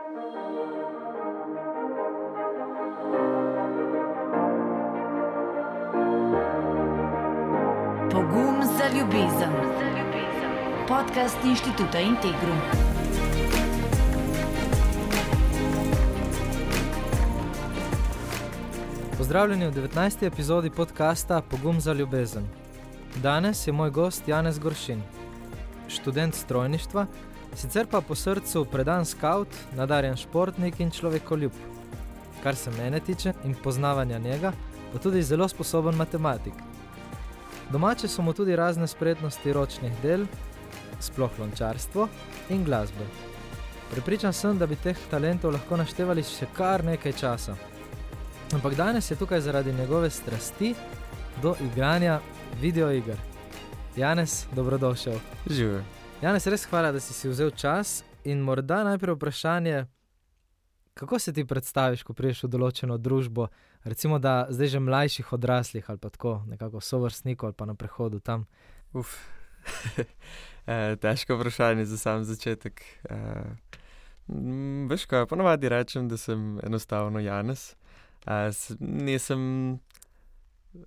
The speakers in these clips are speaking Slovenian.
Pogum za ljubezen. Podcast Inštituta Integrum. Pozdravljeni v 19. epizodi podcasta Pogum za ljubezen. Danes je moj gost Janez Goršin, študent strojništva, sicer pa po srcu predan skavt, nadarjen športnik in človekoljub. Kar se mene tiče in poznavanja njega, pa tudi zelo sposoben matematik. Domače so mu tudi razne spretnosti ročnih del, sploh lončarstvo in glasbe. Prepričan sem, da bi teh talentov lahko naštevali še kar nekaj časa. Ampak danes je tukaj zaradi njegove strasti do igranja videoiger. Janez, dobrodošel. Živijo. Janez, res hvala, da si vzel čas in morda najprej vprašanje, kako se ti predstaviš, ko prideš v določeno družbo, recimo da zdaj že mlajših odraslih ali pa tako, nekako sovrstnikov ali pa na prehodu tam? Težko vprašanje za sam začetek. Veš kaj, ponavadi rečem, da sem enostavno Janez.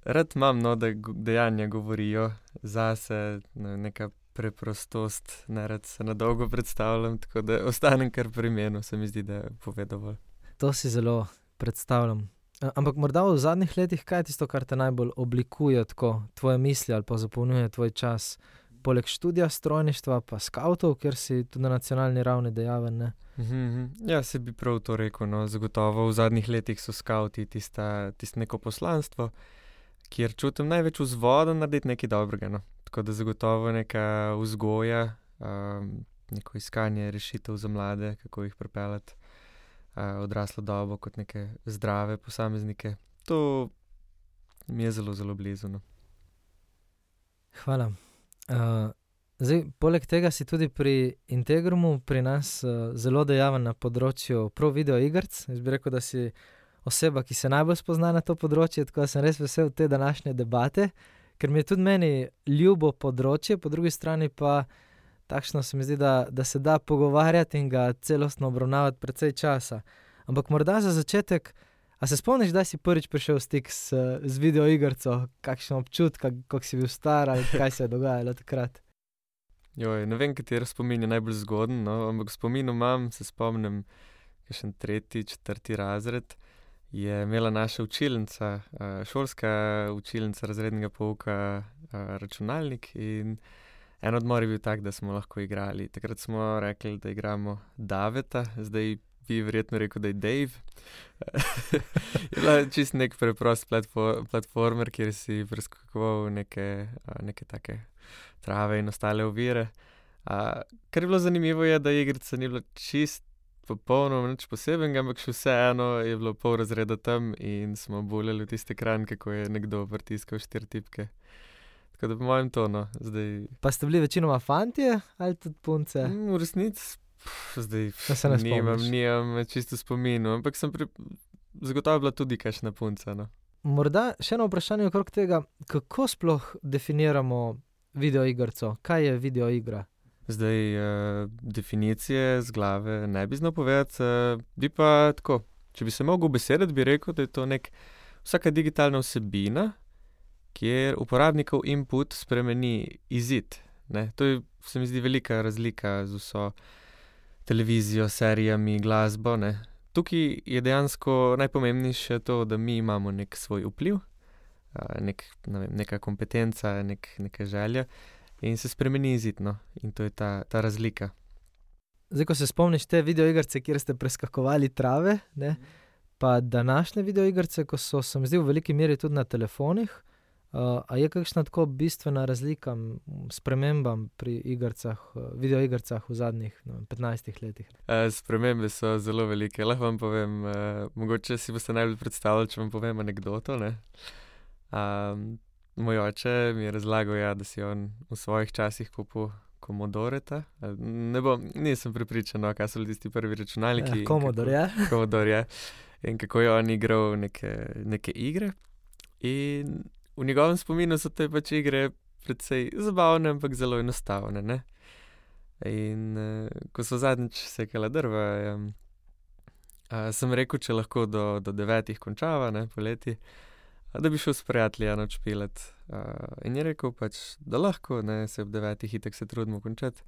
Rad imam, da dejanja govorijo zase, neka preprostost, nerad se na dolgo predstavljam, tako da ostanem kar pri imenu, se mi zdi, da je povedal. To si zelo predstavljam. Ampak morda v zadnjih letih, kaj je tisto, kar te najbolj oblikuje tako, tvoje misli ali pa zapolnjuje tvoj čas? Poleg študija strojništva pa skavtov, kjer si tudi na nacionalni ravni dejaven, ne? Ja, se bi prav to rekel, no, zagotovo v zadnjih letih so skavti tisto neko poslanstvo, kjer čutim največ vzvoda narediti nekaj dobrega, no. Tako da zagotovo neka vzgoja, neko iskanje rešitev za mlade, kako jih pripeljati odraslo dobo kot neke zdrave posameznike. To mi je zelo, zelo blizu, no. Hvala. Zdaj, poleg tega si tudi pri Integrumu pri nas zelo dejaven na področju prav videoigrc. Jaz bi rekel, da si oseba, ki se najbolj spozna na to področje, tako da sem res vesel te današnje debate, ker mi je tudi meni ljubo področje, po drugi strani pa takšno se mi zdi, da se da pogovarjati in ga celostno obravnavati precej časa. Ampak morda za začetek, a se spomniš, da si prvič prišel v stik z videoigrco, kakšen občutek, kako si bil star ali kaj se je dogajalo takrat? Ne vem, kateri spomin je najbolj zgoden, no, ampak spominu imam, se spomnim, kakšen 3., 4. razred, je imela naša učilnica, šolska učilnica razrednega pouka, računalnik in en odmor je bil tak, da smo lahko igrali. Takrat smo rekli, da igramo Daveta, zdaj bi verjetno rekel, da je Dave. Je bila čisto nek preprost platformer, kjer si preskakoval neke take trave in ostale ovire. Kar je bilo zanimivo je, da igrica ni bila čisto popolnoma nič posebenega, ampak še vseeno je bilo pol razreda tam in smo buljali v tisti ekran, kako je nekdo pritiskal 4 tipke. Tako da po mojem to, no, zdaj... Pa ste bili večinoma fantje ali tudi punce? V resnici, zdaj nimam čisto spominu, ampak sem zagotovo bila tudi kakšna punca, no. Morda še eno vprašanje okrog tega, kako sploh definiramo videoigrco? Kaj je videoigra? Zdaj, definicije z glave ne bi znal povedati, bi pa tako, če bi se mogel besediti, bi rekel, da je to vsaka digitalna vsebina, kjer uporabnikov input spremeni izid, ne. To je, se mi zdi, velika razlika z vso televizijo, serijami, glasbo, ne. Tukaj je dejansko najpomembnejše to, da mi imamo nek svoj vpliv, neka kompetenca, neka želja in se spremeni izid, no. In to je ta razlika. Zdaj, ko se spomniš te videoigrce, kjer ste preskakovali trave, ne, pa današnje videoigrce, ko so, se mi zdi, v veliki meri tudi na telefonih, a je kakšna tako bistvena razlika spremembam pri videoigrcah v zadnjih 15 letih? Spremembe so zelo velike. Lahko vam povem, mogoče si boste najbolj predstavljali, če vam povem anekdoto, ne. Moj oče mi je razlagal, da si on v svojih časih kupil Commodoreta. Nisem prepričan, kaj so tisti prvi računalniki. Commodore, ja. In kako je on igral neke igre. In v njegovem spominu so te pač igre precej zabavne, ampak zelo enostavne, ne. In ko so zadnjič sekala drva, sem rekel, če lahko do 9 končava, ne, poleti, da bi šel s prijatelji noč špilat. In je rekel pač, da lahko, ne, se ob 9 itak se trudimo končati.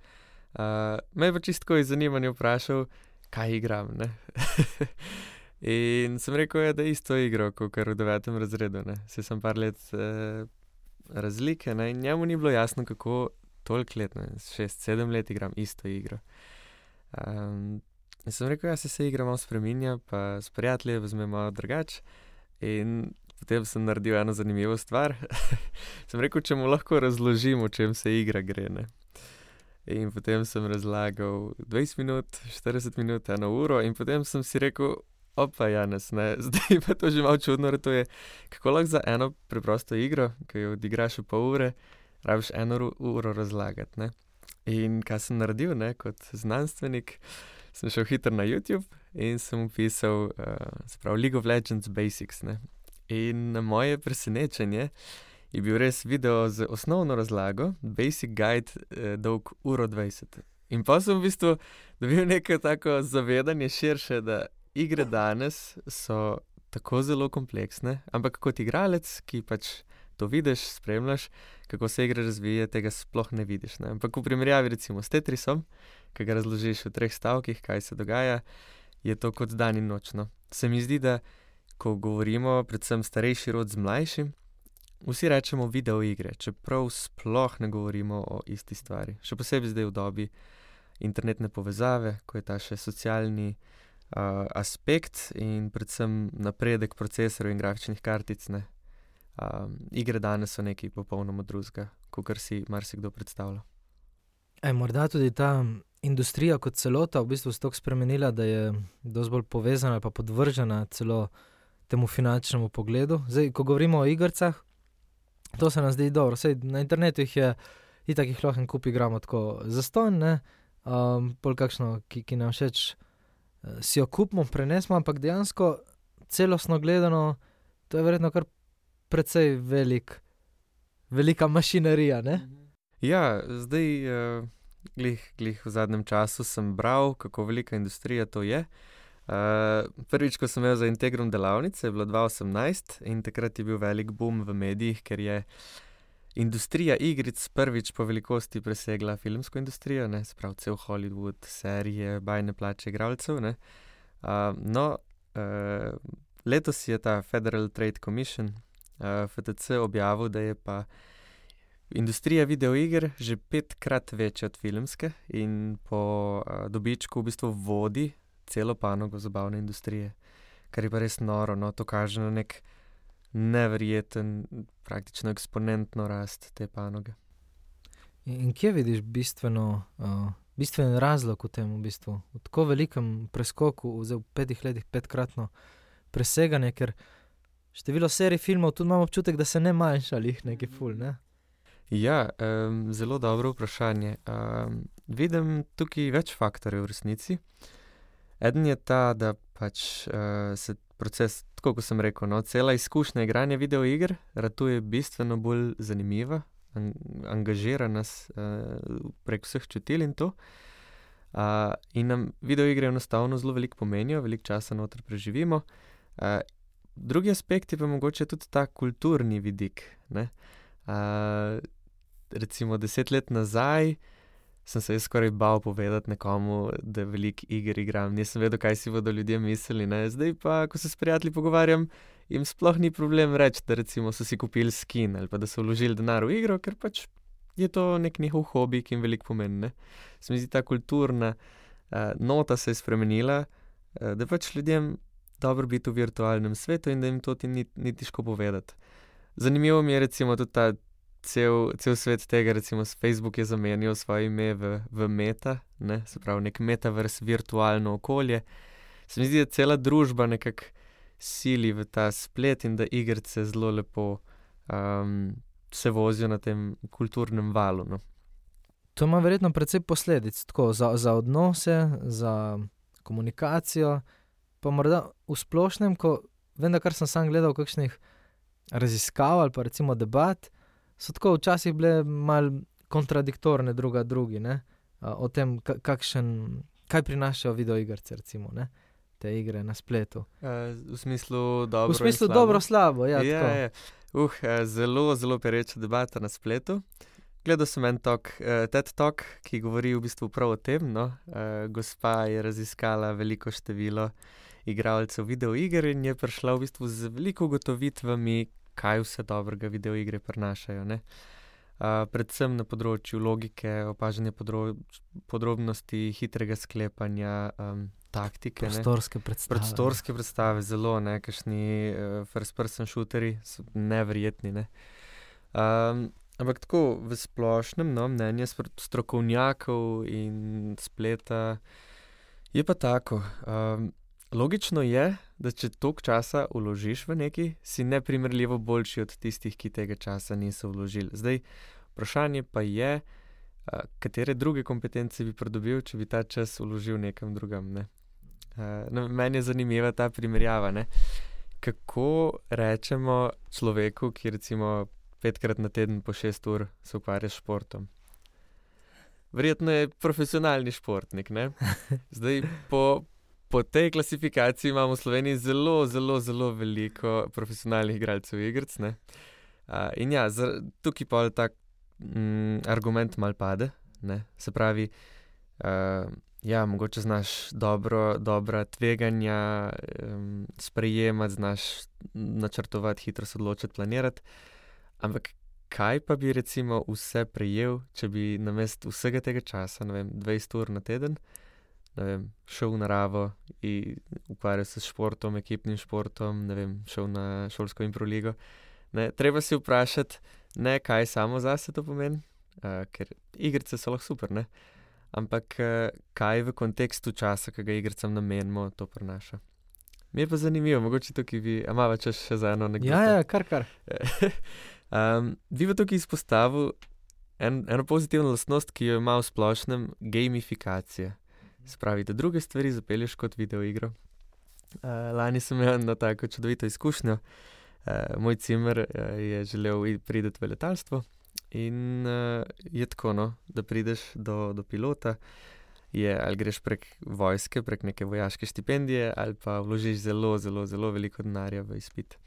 Me je pa čistko iz zanimanja vprašal, kaj igram, ne. In sem rekel, da isto igro, kakor v 9. razredu, ne. Saj sem par let razlike, ne, in njemu ni bilo jasno, kako toliko let, ne, 6-7 let igram isto igro. In sem rekel, se igra malo spreminja, pa s prijatelji vzme malo drugače. In potem sem naredil eno zanimivo stvar. Sem rekel, če mu lahko razložim, o čem se igra gre, ne. In potem sem razlagal 20 minut, 40 minut, 1 uro in potem sem si rekel, opa, Janez, ne, zdaj pa to že malo čudno ratuje, kako lahko za eno preprosto igro, ki jo odigraš v pol ure, rabiš 1 uro razlagati, ne. In kaj sem naredil, ne, kot znanstvenik, sem šel hitro na YouTube in sem vpisal, se pravi League of Legends Basics, ne. In na moje presenečenje je bil res video z osnovno razlago, Basic Guide, dolg 1:20. In pa sem v bistvu dobil neko tako zavedanje širše, da igre danes so tako zelo kompleksne, ampak kot igralec, ki pač to vidiš, spremljaš, kako se igra razvija, tega sploh ne vidiš, ne. Ampak v primerjavi recimo s Tetrisom, ki ga razložiš v 3 stavkih, kaj se dogaja, je to kot dan in noč, no. Se mi zdi, da ko govorimo predvsem starejši rod z mlajšim, vsi rečemo video igre, čeprav sploh ne govorimo o isti stvari. Še posebej zdaj v dobi internetne povezave, ko je ta še socialni aspekt in predvsem napredek procesorjev in grafičnih kartic, ne. Igre danes so nekaj popolnoma drugega, kakor si marsikdo predstavlja. Morda tudi ta industrija kot celota v bistvu se toliko spremenila, da je dosti bolj povezana ali pa podvržena celo temu finančnemu pogledu. Zdaj, ko govorimo o igricah, to se nam zdi dobro. Saj na internetu itak jih lahko en kup igramo tako zastonj, ne. Pol kakšno, ki nam všeč, si jo kupimo, prenesemo, ampak dejansko celostno gledano, to je verjetno kar precej velika mašinerija, ne? Ja, zdaj, glih v zadnjem času sem bral, kako velika industrija to je. Prvič, ko sem imel za Integrum delavnice, je bilo 2018 in takrat je bil velik boom v medijih, ker je industrija igric prvič po velikosti presegla filmsko industrijo, ne, se pravi cel Hollywood, serije, bajne plače igralcev, ne. Letos je ta Federal Trade Commission, FTC, objavil, da je pa industrija videoiger že 5-krat večja od filmske in po dobičku v bistvu vodi celo panogo zabavne industrije, kar je pa res noro, no, to kaže na nek neverjeten, praktično eksponentno rast te panoge. In kje vidiš bistven razlog v tem v bistvu? V tako velikem preskoku, v 5 letih 5-kratno preseganje, ker število serij filmov tudi imam občutek, da se ne manjša lih nekaj ful, ne? Ja, zelo dobro vprašanje. Vidim tukaj več faktorjev v resnici. Eden je ta, da pač se proces, tako kot sem rekel, no, cela izkušnja igranja videoiger ratuje bistveno bolj zanimiva, angažira nas prek vseh čutil in to. In nam videoigre enostavno zelo veliko pomenijo, veliko časa noter preživimo. Drugi aspekt je pa mogoče tudi ta kulturni vidik, ne. Recimo 10 let nazaj sem se jaz skoraj bal povedati nekomu, da veliko iger igram. Nisem vedel, kaj si bodo ljudje mislili, ne. Zdaj pa, ko se s prijatelji pogovarjam, jim sploh ni problem reči, da recimo so si kupili skin ali pa da so vložili denar v igro, ker pač je to nek njihov hobi, ki jim veliko pomeni, ne. Se mi zdi, ta kulturna nota se je spremenila, da pač ljudem dobro biti v virtualnem svetu in da jim to ni težko povedati. Zanimivo mi je recimo tudi ta cel svet tega, recimo Facebook je zamenjal svoje ime v Meta, ne, se pravi nek metaverse, virtualno okolje. Se mi zdi, da cela družba nekako sili v ta splet in da igrice zelo lepo se vozijo na tem kulturnem valu, no. To ima verjetno precej posledic, tako za odnose, za komunikacijo, pa morda v splošnem, ko vem, da kar sem sam gledal kakšnih raziskav ali pa recimo debat, so tako včasih bile malo kontradiktorne drugi, ne, o tem, kaj prinašajo videoigrce, recimo, ne. te igre na spletu? V smislu dobro V smislu in slabo? dobro-slabo, ja, tako. Zelo, zelo pereča debata na spletu. Gledal sem en TED Talk, ki govori v bistvu prav o tem. No? Gospa je raziskala veliko število igralcev videoiger in je prišla v bistvu z veliko ugotovitvami, kaj vse dobrega videoigre prinašajo. Ne? Predvsem na področju logike, opažanja podrobnosti, hitrega sklepanja, taktike. Prostorske predstave. Prostorske predstave, zelo, ne, kakšni first person shooteri so neverjetni, ne. Ampak tako v splošnem, no, mnenje strokovnjakov in spleta je pa tako. Logično je, da če toliko časa vložiš v nekaj, si neprimerljivo boljši od tistih, ki tega časa niso vložili. Zdaj, vprašanje pa je, katere druge kompetence bi pridobil, če bi ta čas vložil nekam drugam, ne. Meni je zanimiva ta primerjava, ne. Kako rečemo človeku, ki recimo 5-krat na teden po 6 ur se ukvarja s športom? Verjetno je profesionalni športnik, ne. Zdaj, po tej klasifikaciji imamo v Sloveniji zelo, zelo, zelo veliko profesionalnih igralcev igric, ne. In ja, tukaj pol tak argument malo pade, ne. Se pravi, ja, mogoče znaš dobra tveganja sprejemati, znaš načrtovati, hitro se odločiti, planirati, ampak kaj pa bi recimo vse prejel, če bi namesto vsega tega časa, ne vem, 20 ur na teden, ne vem, šel v naravo in ukvarjal se s športom, ekipnim športom, ne vem, šel na šolsko improligo. Ne, treba si vprašati, ne kaj samo zase to pomeni, ker igrice so lahko super, ne, ampak kaj v kontekstu časa, ki ga igricam namenimo, to prinaša. Mi je pa zanimivo, mogoče tukaj a imava čas še za eno anekdoto? Ja, kar. Bi pa tukaj izpostavil eno pozitivno lastnost, ki jo ima v splošnem gamifikacija. Se pravi, da druge stvari zapelješ kot videoigro. Lani sem imel eno tako čudovito izkušnjo. Moj cimer je želel priti v letalstvo in je tako, no, da prideš do pilota, ali greš prek vojske, prek neke vojaške štipendije, ali pa vložiš zelo, zelo, zelo veliko denarja v izpit.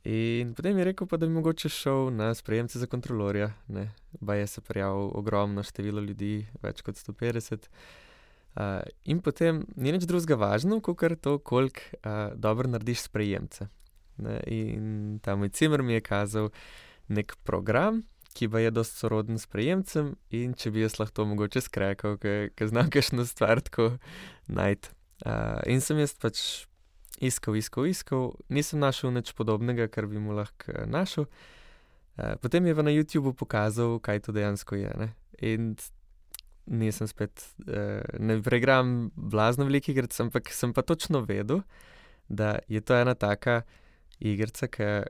In potem je rekel pa, da bi mogoče šel na sprejemce za kontrolorja, ne. Baje se prijavil ogromno število ljudi, več kot 150. In potem ni nič drugega važno, kakor to, koliko dobro narediš sprejemce. Ne, in ta moj cimer mi je kazal nek program, ki pa je dosti soroden sprejemcem, in če bi jaz lahko mogoče skrekal, ker znam kakšno stvar tako najti. In sem jaz pač iskal, nisem našel nič podobnega, kar bi mu lahko našel. Potem je pa na YouTubu pokazal, kaj to dejansko je, ne. In nisem spet, ne preigram blazno veliko igric, ampak sem pa točno vedel, da je to ena taka igrica, ki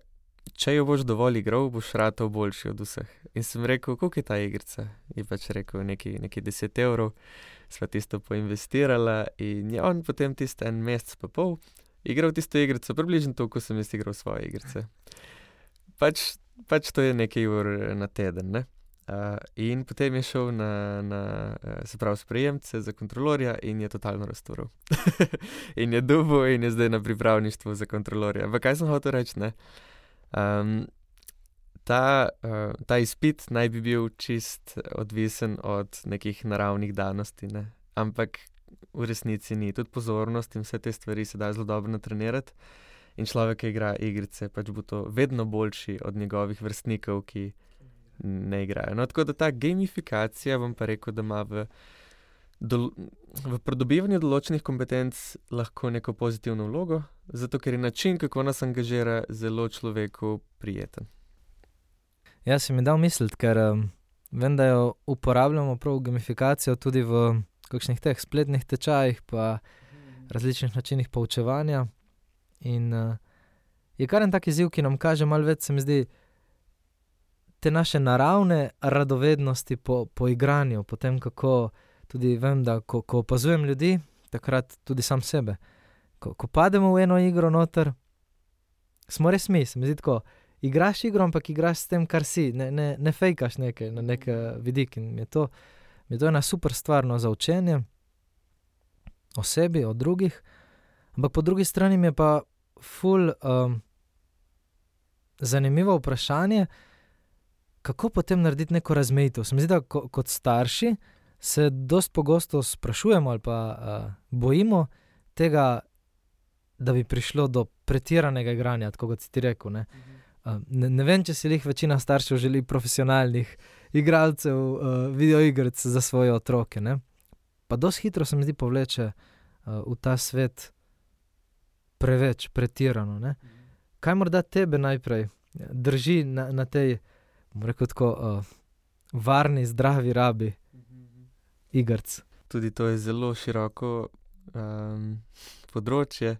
če jo boš dovolj igral, boš ratal boljši od vseh. In sem rekel, koliko je ta igrica? Je pač rekel, nekaj 10 evrov, sva tisto poinvestirala in je on potem tisto en mesec pa pol igral tisto igrico, približno toliko, ko sem jaz igral svoje igrice. Pač to je nekaj ur na teden, ne. In potem je šel se pravi, sprejemce za kontrolorja in je totalno raztural. In je dubo in je zdaj na pripravništvu za kontrolorja. Ampak kaj sem hotel reči, ne? Ta izpit naj bi bil čist odvisen od nekih naravnih danosti, ne? Ampak v resnici ni. Tudi pozornost in vse te stvari se da zelo dobro natrenirati. In človek, ki igra igrice, pač bo to vedno boljši od njegovih vrstnikov, ki ne igrajo. No, tako da ta gamifikacija, bom pa rekel, da ima v pridobivanju določenih kompetenc lahko neko pozitivno vlogo, zato ker je način, kako nas angažira, zelo človeku prijeten. Ja, si mi dal misliti, ker vem, da jo uporabljamo prav gamifikacijo tudi v kakšnih teh spletnih tečajih pa različnih načinih poučevanja. In je kar en tak izziv, ki nam kaže malo več, se mi zdi, te naše naravne radovednosti po igranju, po tem, kako tudi vem, da ko opazujem ljudi, takrat tudi sam sebe. Ko pademo v eno igro noter, smo res mi, se mi zdi tako, igraš igro, ampak igraš s tem, kar si, ne fejkaš nekaj na nek vidik in mi je to ena super stvar, no, za učenje o sebi, o drugih, Ampak po drugi strani mi je pa ful zanimivo vprašanje, kako potem narediti neko razmejitev. Se mi zdi, da kot starši se dosti pogosto sprašujemo ali pa bojimo tega, da bi prišlo do pretiranega igranja, tako kot si ti rekel, ne. Ne vem, če si večina staršev želi profesionalnih igralcev videoigrc za svoje otroke, ne. Pa dosti hitro se mi zdi povleče v ta svet preveč, pretirano, ne. Kaj morda tebe najprej drži na tej, bom rekel tako, varni, zdravi rabi igrc? Tudi to je zelo široko področje.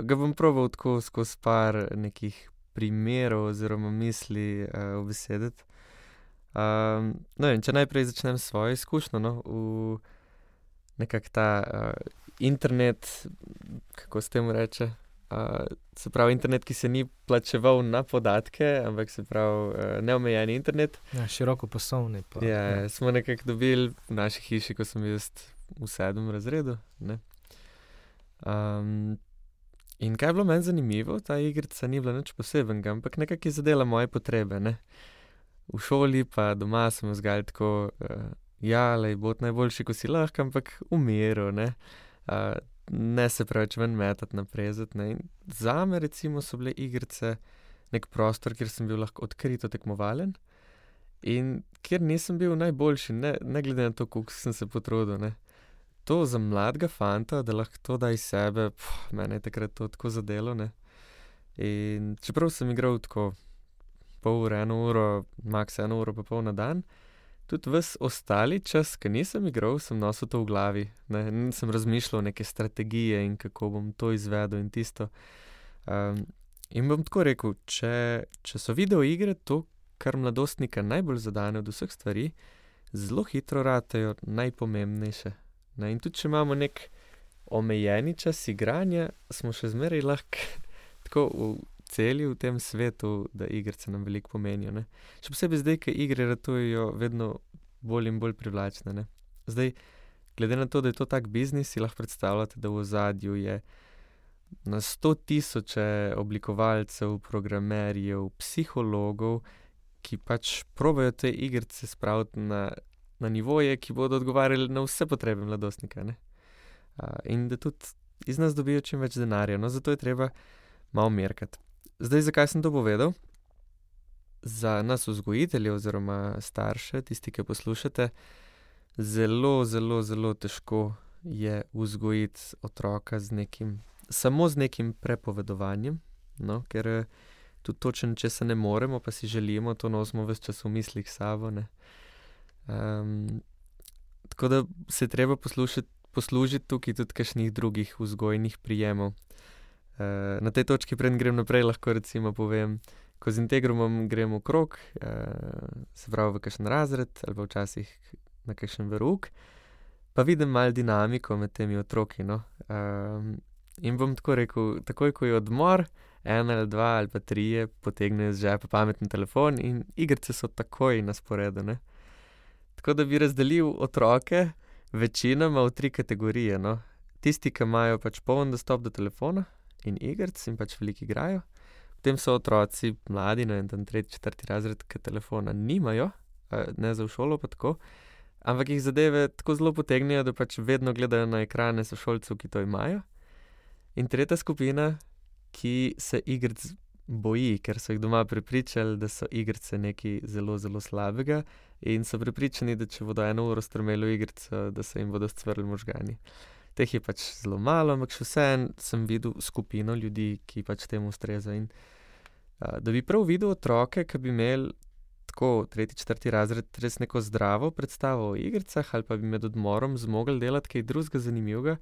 Ga bom probal tako skozi par nekih primerov oziroma misli ubesediti. No, in če najprej začnem s svojo izkušnjo, no, v nekako ta internet, kako se temu reče, se pravi internet, ki se ni plačeval na podatke, ampak se pravi neomejeni internet. Ja, širokopasovni pa. Ja, smo nekako dobili v naši hiši, ko sem bil jaz v 7. razredu, ne. In kaj je bilo meni zanimivo, ta igrica ni bila nič posebenega, ampak nekako je zadela moje potrebe, ne. V šoli pa doma smo vzgajali tako, lej, bod najboljši, ko si lahko, ampak v miru, ne. Ne se preveč ven metati, naprezati, ne. In zame recimo so bile igrice neki prostor, kjer sem bil lahko odkrito tekmovalen in kjer nisem bil najboljši, ne glede na to, koliko sem se potrudil, ne. To za mladega fanta, da lahko to da iz sebe, mene je takrat to tako zadelo, ne. In čeprav sem igral tako pol ure, 1 uro, maks 1 uro pa pol na dan, tudi ves ostali čas, ko nisem igral, sem nosil to v glavi, ne. Nisem razmišljal neke strategije in kako bom to izvedel in tisto. In bom tako rekel, če so videoigre to, kar mladostnika najbolj zadane od vseh stvari, zelo hitro ratejo najpomembnejše, ne. In tudi če imamo neki omejeni čas igranja, smo še zmeraj lahko tako celi v tem svetu, da igrice nam veliko pomenijo, ne. Še posebej zdaj, ko igre ratujejo vedno bolj in bolj privlačne, ne. Zdaj, glede na to, da je to tak biznis, si lahko predstavljate, da v ozadju je na 100 000 oblikovalcev, programerjev, psihologov, ki pač probajo te igrice spraviti na nivoje, ki bodo odgovarjali na vse potrebe mladostnika, ne. In da tudi iz nas dobijo čim več denarja, no, zato je treba malo merkati. Zdaj, zakaj sem to povedal? Za nas vzgojitelje oziroma starše, tisti, ki poslušate, zelo, zelo, zelo težko je vzgojiti otroka samo z nekim prepovedovanjem, no, ker tudi točno česa ne moremo, pa si želimo, to nosimo ves čas v mislih s sabo, ne. Tako da se je treba poslužiti tukaj tudi kakšnih drugih vzgojnih prijemov. Na tej točki, preden grem naprej, lahko recimo povem, ko z Integrumom grem v krog, se pravi v kakšen razred ali pa včasih na kakšen verouk, pa vidim malo dinamiko med temi otroki, no. In bom tako rekel, takoj ko je odmor, 1 ali 2 ali pa 3 potegnejo iz žepa pametni telefon in igrice so takoj na sporedu, ne. Tako da bi razdelil otroke večinoma v 3 kategorije, no. Tisti, ki imajo pač poln dostop do telefona in igric in pač veliko igrajo. Potem so otroci mladi, ne vem, tam 3., 4. razred, ki telefona nimajo, ne za v šolo pa tako, ampak jih zadeve tako zelo potegnejo, da pač vedno gledajo na ekrane sošolcev, ki to imajo. In tretja skupina, ki se igric boji, ker so jih doma prepričali, da so igrice nekaj zelo, zelo slabega in so prepričani, da če bodo 1 uro strmeli v igrico, da se jim bodo scvrli možgani. Teh je pač zelo malo, ampak še vseeno sem videl skupino ljudi, ki pač temu ustreza. In da bi prav videl otroke, ki bi imeli tako 3., 4. razred res neko zdravo predstavo o igricah ali pa bi med odmorom zmogli delati kaj drugega zanimivega,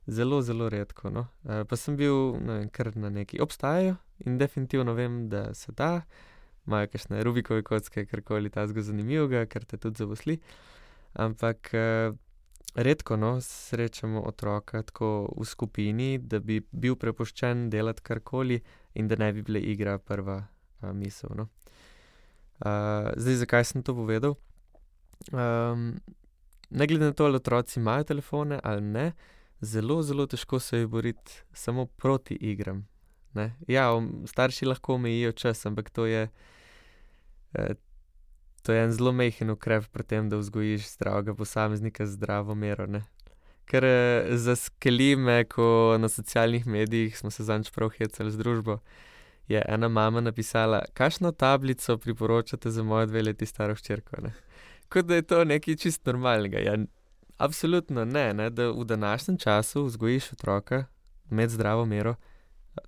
zelo, zelo redko, no. Pa sem bil, ne vem, kar na neki obstajajo in definitivno vem, da se da, imajo kakšne Rubikove kocke, karkoli takega zanimivega, kar te tudi zaposli, ampak redko, no, srečamo otroka tako v skupini, da bi bil prepuščen delati karkoli in da ne bi bile igra prva misel, no. Zdaj, zakaj sem to povedal? Ne glede na to, ali otroci imajo telefone ali ne, zelo, zelo težko se je boriti samo proti igram. Ne? Ja, starši lahko omejijo čas, ampak to je en zelo majhen ukrep pri tem, da vzgojiš zdravega posameznika z zdravo mero. Ne? Ker zaskeli me, ko na socialnih medijih smo se zanj prav hecali z družbo, je ena mama napisala, kakšno tablico priporočate za mojo 2 leti staro hčerko. Ne? Kot da je to nekaj čist normalnega. Ja, absolutno ne, da v današnjem času vzgojiš otroka med zdravo mero,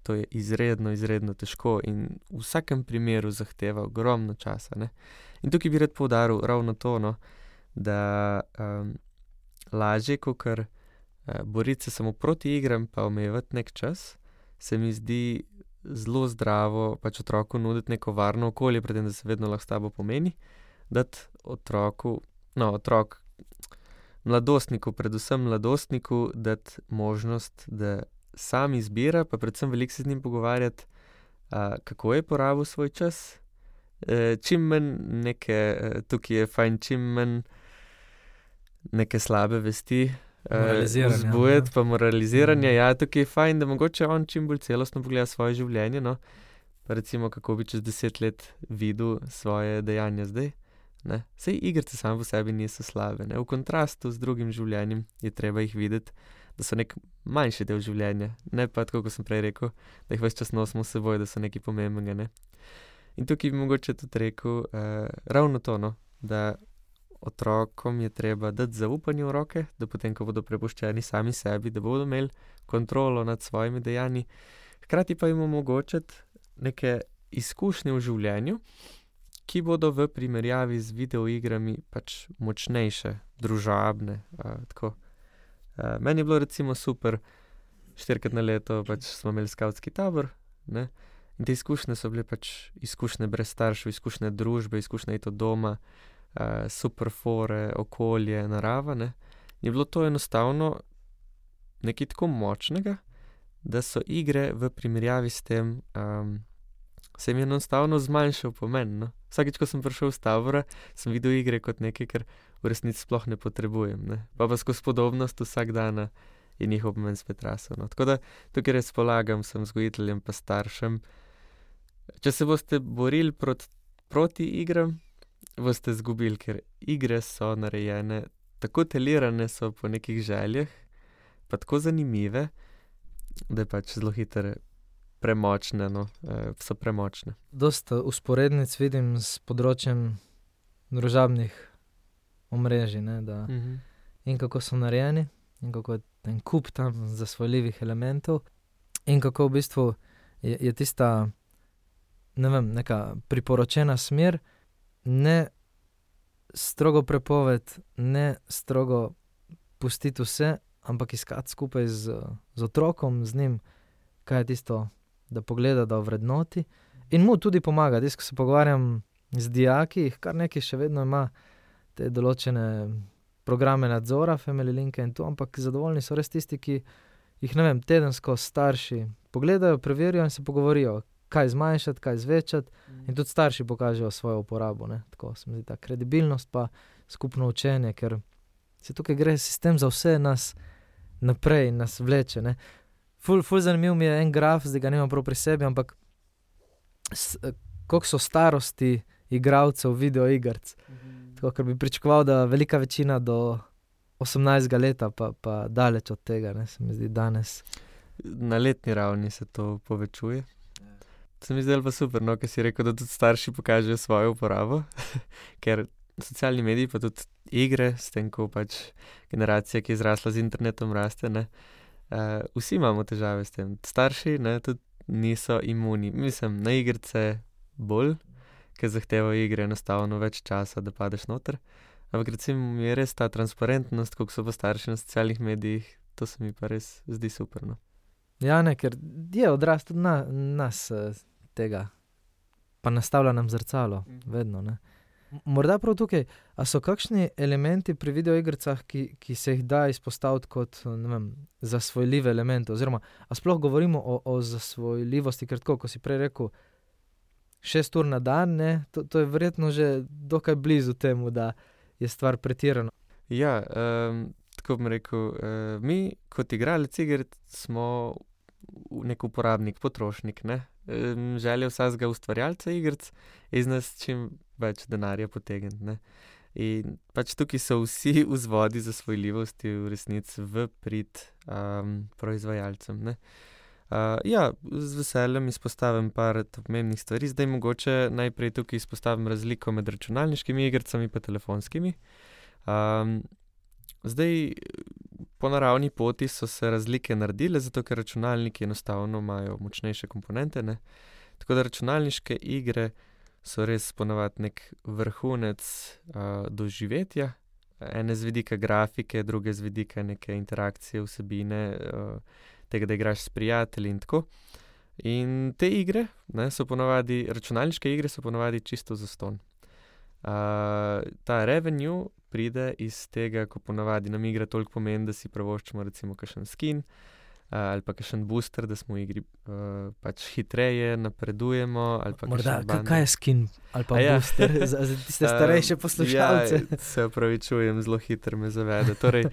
to je izredno, izredno težko in v vsakem primeru zahteva ogromno časa. Ne? In tukaj bi rad poudaril ravno to, no, da lažje, kakor boriti se samo proti igram pa omejevati nek čas, se mi zdi zelo zdravo pač otroku nuditi neko varno okolje, predtem, da se vedno lahko s tabo pomeni, dati mladostniku, predvsem mladostniku, dati možnost, da sam izbira, pa predvsem veliko se z njim pogovarjati, kako je porabil svoj čas, čim manj tukaj je fajn, čim manj neke slabe vesti vzbujati, pa moraliziranje. Ja, tukaj je fajn, da mogoče on čim bolj celostno pogleda svoje življenje, no, pa recimo, kako bi čez 10 let videl svoje dejanja zdaj. Ne? Sej igrice same po sebi niso slabe. Ne? V kontrastu z drugim življenjem je treba jih videti, da so nek manjši del življenja. Ne pa tako, kot sem prej rekel, da jih ves čas nosimo s seboj, da so nekaj pomembnega. Ne? In tukaj bi mogoče tudi rekel ravno to, no? Da otrokom je treba dati zaupanje v roke, da potem, ko bodo prepuščeni sami sebi, da bodo imeli kontrolo nad svojimi dejanji. Hkrati pa jim omogočati neke izkušnje v življenju, ki bodo v primerjavi z videoigrami pač močnejše, družabne. Tako. Meni je bilo recimo super, 4-krat na leto pač smo imeli skavtski tabor, ne? In te izkušnje so bile pač izkušnje brez staršev, izkušnje družbe, izkušnje iti od doma, super fore, okolje, narava. Ne? Je bilo to enostavno nekaj tako močnega, da so igre v primerjavi s tem se jim je enostavno zmanjšal pomen. No? Vsakič, ko sem prišel z tabora, sem videl igre kot nekaj, kar v resnici sploh ne potrebujem. Ne? Pa skozi podobnost vsak dan je njihov pomen spet rasel. No? Tako da tukaj res polagam vsem vzgojiteljem pa staršem, če se boste borili proti igram, boste zgubili, ker igre so narejene, tako telirane so po nekih željah, pa tako zanimive, da je pač zelo hitro premočne, no, so premočne. Dosta usporednic vidim s področjem družabnih omrežij, ne, da in kako so narejeni, in kako je ten kup tam zasvojljivih elementov, in kako v bistvu je tista, ne vem, neka priporočena smer, ne strogo prepoved, ne strogo pustiti vse, ampak iskati skupaj z otrokom, z njim, kaj je tisto, da pogleda, da ovrednoti in mu tudi pomaga. Ko se pogovarjam z dijaki, kar nekaj še vedno ima te določene programe nadzora, Family Linke in to, ampak zadovoljni so res tisti, ki jih, ne vem, tedensko starši pogledajo, preverijo in se pogovorijo, kaj zmanjšati, kaj zvečati, in tudi starši pokažejo svojo uporabo. Ne? Tako se mi zdi ta kredibilnost pa skupno učenje, ker se tukaj gre sistem za vse nas naprej in nas vleče. Ne? Ful zanimiv mi je en graf, zdaj ga nimam prav pri sebi, ampak koliko so starosti igralcev videoigrc. Tako, ker bi pričakoval, da velika večina do 18 leta, pa daleč od tega, ne, se mi zdi danes. Na letni ravni se to povečuje. Se mi zdelo pa super, no, ker si rekel, da tudi starši pokažejo svojo uporabo, ker socialni mediji pa tudi igre, s tem, ko pač generacija, ki je zrasla z internetom, raste, ne, vsi imamo težave s tem. Starši, ne, tudi niso imuni. Mislim, na igrice bolj, ker zahtevajo igre enostavno več časa, da padeš noter. Ampak recimo je res ta transparentnost, koliko so pa starši na socialnih medijih, to se mi pa res zdi super, no. Ja, ne, ker je odraz tudi nas tega, pa nastavlja nam zrcalo, vedno, ne. Morda prav tukaj, a so kakšni elementi pri videoigricah, ki se jih da izpostaviti kot, ne vem, zasvojljive elemente, oziroma, a sploh govorimo o zasvojljivosti, ker tako, ko si prej rekel, 6 ur na dan, ne, to je verjetno že dokaj blizu temu, da je stvar pretirana. Ja, tako bom rekel, mi kot igralec igric smo nek uporabnik, potrošnik, ne. Želja vsakega ustvarjalca igric je iz nas čim več denarja potegniti, ne. In pač tukaj so vsi vzvodi zasvojljivosti v resnici v prid proizvajalcem, ne. Ja, z veseljem izpostavim par pomembnih stvari. Zdaj mogoče najprej tukaj izpostavim razliko med računalniškimi igricami pa telefonskimi. Zdaj, po naravni poti so se razlike naredile, zato ker računalniki enostavno imajo močnejše komponente, ne. Tako da računalniške igre so res ponavadi nek vrhunec doživetja, ene z vidika grafike, druge z vidika neke interakcije, vsebine, tega, da igraš s prijatelji in tako. In te igre, ne, so ponavadi, računalniške igre so ponavadi čisto zastonj. Ta revenue pride iz tega, ko ponavadi nam igra toliko pomeni, da si privoščimo recimo kakšen skin, ali pa kakšen booster, da smo v igri pač hitreje napredujemo, ali pa Morda, kakšen bundle. kaj je skin ali pa booster za tiste starejše poslušalce? Ja, se opravičujem, zelo hitro me zavede. Torej,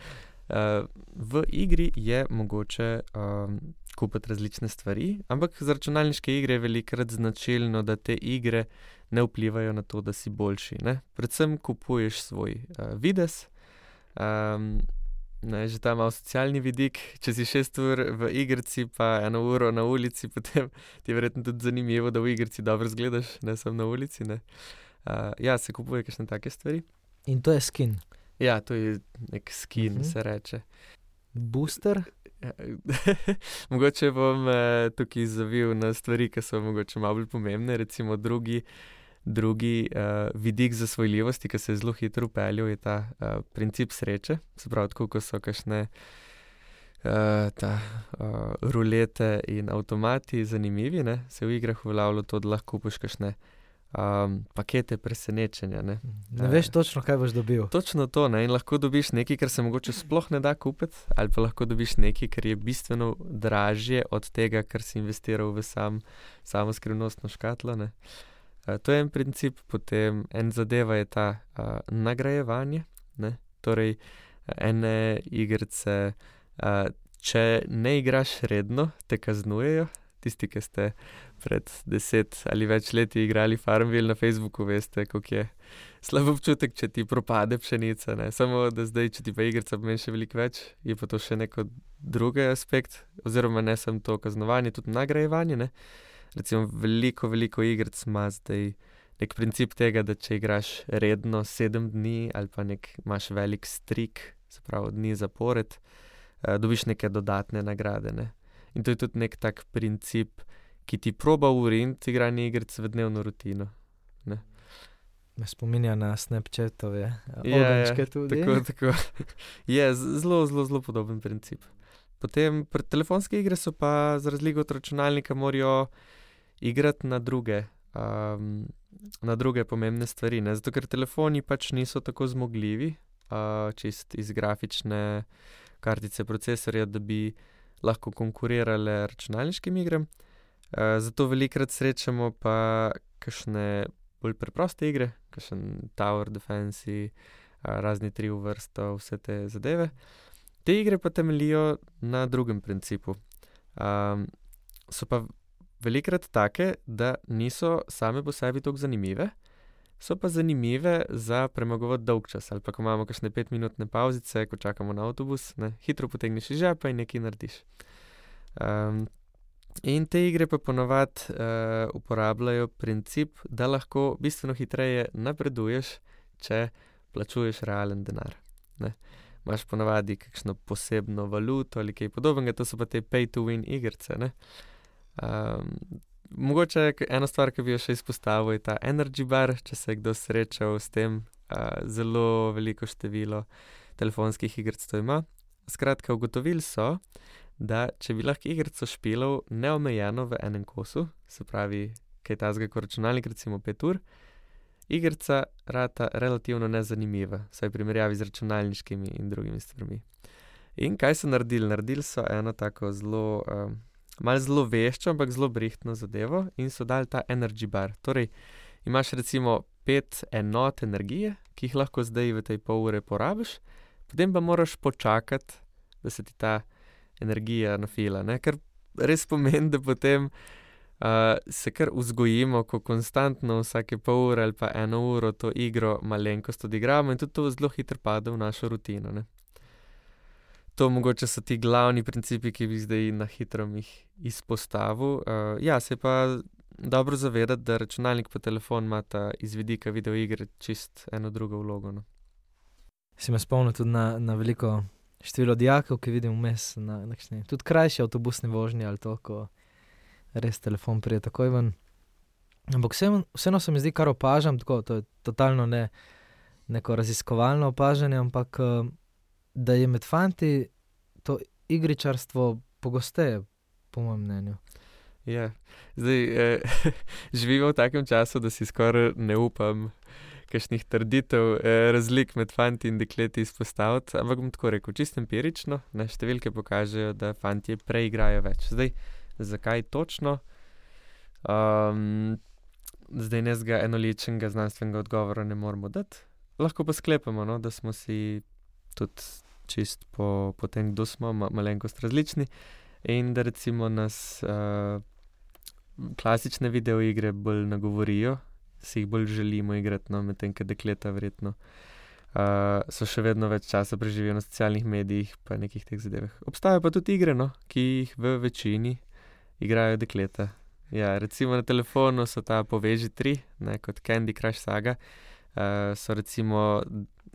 v igri je mogoče kupiti različne stvari, ampak za računalniške igre je velikokrat značilno, da te igre ne vplivajo na to, da si boljši, ne. Predvsem kupuješ svoj videz, ne, že ta malo socialni vidik, če si 6 ur v igrici pa 1 uro na ulici, potem ti je verjetno tudi zanimivo, da v igrici dobro izgledaš, ne samo na ulici, ne. Ja, se kupuje kakšne take stvari. In to je skin. Ja, to je nek skin, se reče. Booster? Mogoče bom tukaj zavil na stvari, ki so mogoče malo bolj pomembne, recimo drugi vidik zasvojljivosti, ki se je zelo hitro vpeljal, je ta princip sreče. Se pravi, tako ko so kakšne rulete in avtomati zanimivi, ne, se v igrah uveljavlja to, da lahko kupiš kakšne pakete presenečenja, ne. Ne veš točno, kaj boš dobil. Točno to, ne, in lahko dobiš nekaj, kar se mogoče sploh ne da kupiti, ali pa lahko dobiš nekaj, kar je bistveno dražje od tega, kar si investiral v samo skrivnostno škatlo, ne. To je en princip, potem en zadeva je ta nagrajevanje, ne. Torej, ene igrice, če ne igraš redno, te kaznujejo. Tisti, ki ste pred 10 ali več leti igrali Farmville na Facebooku, veste, koliko je slab občutek, če ti propade pšenica, ne. Samo da zdaj, če ti pa igrica pomeni še veliko več, je pa to še neko drugi aspekt, oziroma ne samo to kaznovanje, tudi nagrajevanje, ne. Recimo veliko igric ima zdaj nek princip tega, da če igraš redno 7 dni ali pa imaš velik streak, se pravi dni zapored, dobiš neke dodatne nagrade, ne. In to je tudi nek tak princip, ki ti proba vriniti igranje igric v dnevno rutino, ne. Me spominja na Snapchatove ovenčke tudi. Tako. Je zelo podoben princip. Potem telefonske igre so pa za razliko od računalnika morajo igrati na druge pomembne stvari, ne. Zato ker telefoni pač niso tako zmogljivi, čist iz grafične kartice procesorja, da bi lahko konkurirale računalniškim igram. Zato velikokrat srečamo pa kakšne bolj preproste igre, kakšen Tower Defense, razni 3 v vrsto, vse te zadeve. Te igre pa temeljijo na drugem principu. So pa velikokrat take, da niso same po sebi toliko zanimive, so pa zanimive za premagovati dolgčas, ali pa ko imamo kakšne 5-minutne pavzice, ko čakamo na avtobus, ne, hitro potegneš iz žepa in nekaj narediš. In te igre pa ponavadi uporabljajo princip, da lahko bistveno hitreje napreduješ, če plačuješ realen denar, ne. Imaš ponavadi kakšno posebno valuto ali kaj podobnega, to so pa te pay to win igrice, ne. Mogoče ena stvar, ki bi jo še izpostavil, je ta energy bar, če se je kdo srečal s tem, zelo veliko število telefonskih igric to ima. Skratka, ugotovili so, da če bi lahko igrico špilal neomejeno v enem kosu, se pravi, kaj takega kot računalnik, recimo 5 ur, igrica rata relativno nezanimiva, vsaj v primerjavi z računalniškimi in drugimi stvarmi. In kaj so naredili? Naredili so eno tako malo zelo veščo, ampak zelo brihtno zadevo in so dali ta energy bar. Torej, imaš recimo 5 enot energije, ki jih lahko zdaj v tej pol ure porabiš, Potem pa moraš počakati, da se ti ta energija nafila, ne? Kar res pomeni, da potem se kar vzgojimo, ko konstantno vsake pol ure ali pa 1 uro to igro malenkost odigramo in tudi to zelo hitro pade v našo rutino, ne. To mogoče so ti glavni principi, ki bi zdaj na hitro jih izpostavil. Ja, se je pa dobro zavedati, da računalnik pa telefon imata iz vidika videoigre čist eno drugo vlogo, no. Si me spomnil tudi na veliko število dijakov, ki vidim vmes na kakšni, tudi krajši avtobusni vožnji ali to, ko res telefon pride takoj ven. Ampak vseeno se mi zdi, kar opažam, tako, to je totalno neko raziskovalno opažanje, ampak da je med fanti to igričarstvo pogosteje, po mojem mnenju. Ja, zdaj živimo v takem času, da si skoraj ne upam kakšnih trditev, razlik med fanti in dekleti izpostaviti, ampak bom tako rekel, čisto empirično, ne, številke pokažejo, da fantje preigrajo več. Zdaj, zakaj točno? Zdaj nezga enoličnega znanstvenega odgovora ne moremo dati. Lahko pa sklepamo, no, da smo si tudi čist po tem, kdo smo, malenkost različni in da recimo nas klasične videoigre bolj nagovorijo, si jih bolj želimo igrati, no, medtem ko dekleta verjetno so še vedno več časa preživijo na socialnih medijih pa nekih teh zadevah. Obstajajo pa tudi igre, no, ki jih v večini igrajo dekleta. Ja, recimo na telefonu so ta Poveži 3, ne, kot Candy Crush Saga, so recimo,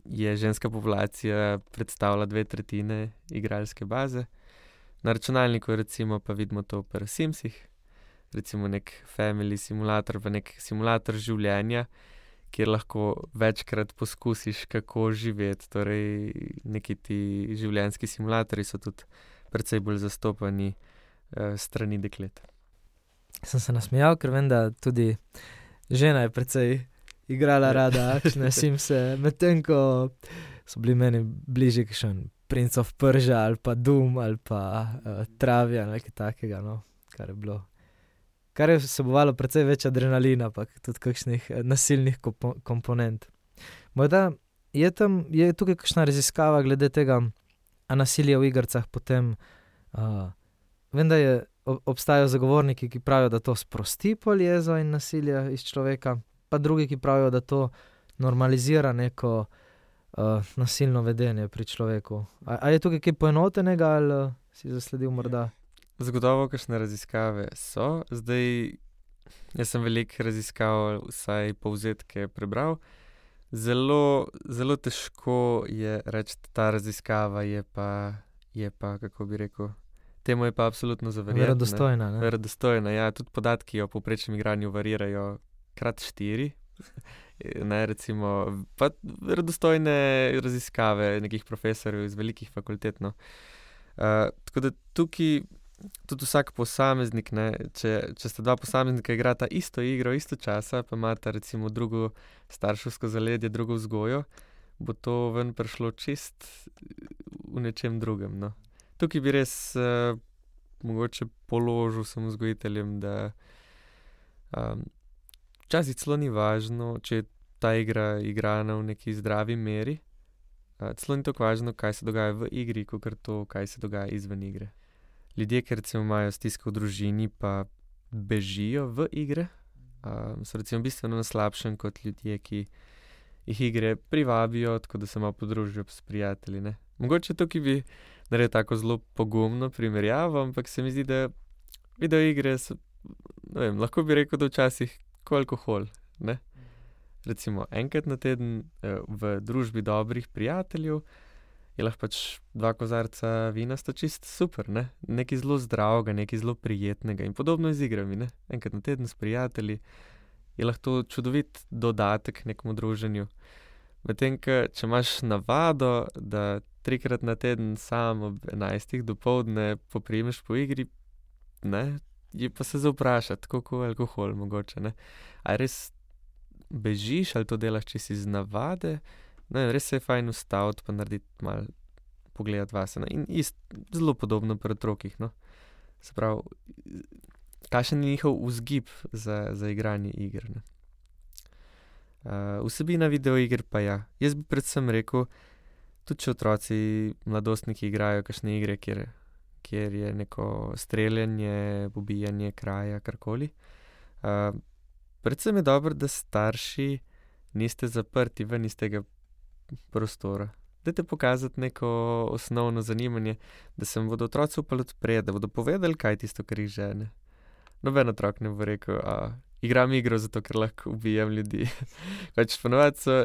je ženska populacija predstavlja 2/3 igralske baze. Na računalniku recimo pa vidimo to pri Simsih, recimo nek family simulator pa nek simulator življenja, kjer lahko večkrat poskusiš, kako živeti, torej neki ti življenjski simulatorji so tudi precej bolj zastopani strani deklet. Sem se nasmejal, ker vem, da tudi žena je precej igrala rada akčne Simse, medtem ko so bili meni bližje kakšen Prince of Persia ali pa Doom ali pa Travia, nekaj takega, no, kar je vsebovalo precej več adrenalina, pa tudi kakšnih nasilnih komponent. Morda je tukaj kakšna raziskava glede tega, a nasilje v igricah potem, vem, da obstajajo zagovorniki, ki pravijo, da to sprosti pol jezo in nasilje iz človeka, pa drugi, ki pravijo, da to normalizira neko nasilno vedenje pri človeku. A je tukaj kaj poenotenega ali si zasledil morda? Zagotovo kakšne raziskave so. Zdaj, jaz sem veliko raziskav, vsaj povzetke prebral. Zelo, zelo težko je reči, ta raziskava je pa, kako bi rekel, temu je pa absolutno za verjeti. Verodostojna, ne? Verodostojna, ja. Tudi podatki o povprečnem igranju varirajo krat 4. Ne, recimo, pa verodostojne raziskave nekih profesorjev iz velikih fakultet, no. Tako da tukaj tudi vsak posameznik, ne, če sta dva posameznika igrata isto igro, isto časa, pa imata recimo drugo starševsko zaledje, drugo vzgojo, bo to ven prišlo čist v nečem drugem, no. Tukaj bi res mogoče položil sem vzgojiteljem, da včasih celo ni važno, če je ta igra igrana v neki zdravi meri, celo ni tako važno, kaj se dogaja v igri, kakor to, kaj se dogaja izven igre. Ljudje, ki recimo imajo stisko v družini, pa bežijo v igre, so recimo bistveno na slabšem kot ljudje, ki jih igre privabijo, tako da se malo podružijo s prijatelji, ne. Mogoče tukaj bi naredil tako zelo pogumno primerjavo, ampak se mi zdi, da videoigre so, ne vem, lahko bi rekel, da včasih ko alkohol, ne. Recimo enkrat na teden v družbi dobrih prijateljev je lahko pač 2 kozarca vina sta čist super, ne. Nekaj zelo zdravega, nekaj zelo prijetnega in podobno z igrami, ne. Enkrat na teden s prijatelji je lahko čudovit dodatek nekemu druženju. Medtem ko, če imaš navado, da 3-krat na teden sam ob 11 dopoldne poprijemeš po igri, ne, je pa se za vprašati, tako kot alkohol mogoče, ne. A res bežiš ali to delaš čisto iz navade? Ne, res se je fajn ustaviti pa narediti malo, pogledati vase, ne. In zelo podobno pri otrocih, no. Se pravi, kakšen je njihov vzgib za igranje iger, ne. Vsebina videoiger pa ja. Jaz bi predvsem rekel, tudi če otroci, mladostniki igrajo kakšne igre, kjer je neko streljanje, pobijanje kraja, karkoli. Predvsem je dobro, da starši niste zaprti ven iz tega prostora. Dajte pokazati neko osnovno zanimanje, da se vam bodo otroci upali odpreti, da bodo povedali, kaj je tisto, kar jih žene. Noben otrok ne bo rekel, igram igro zato, ker lahko ubijem ljudi. Pač ponovadi so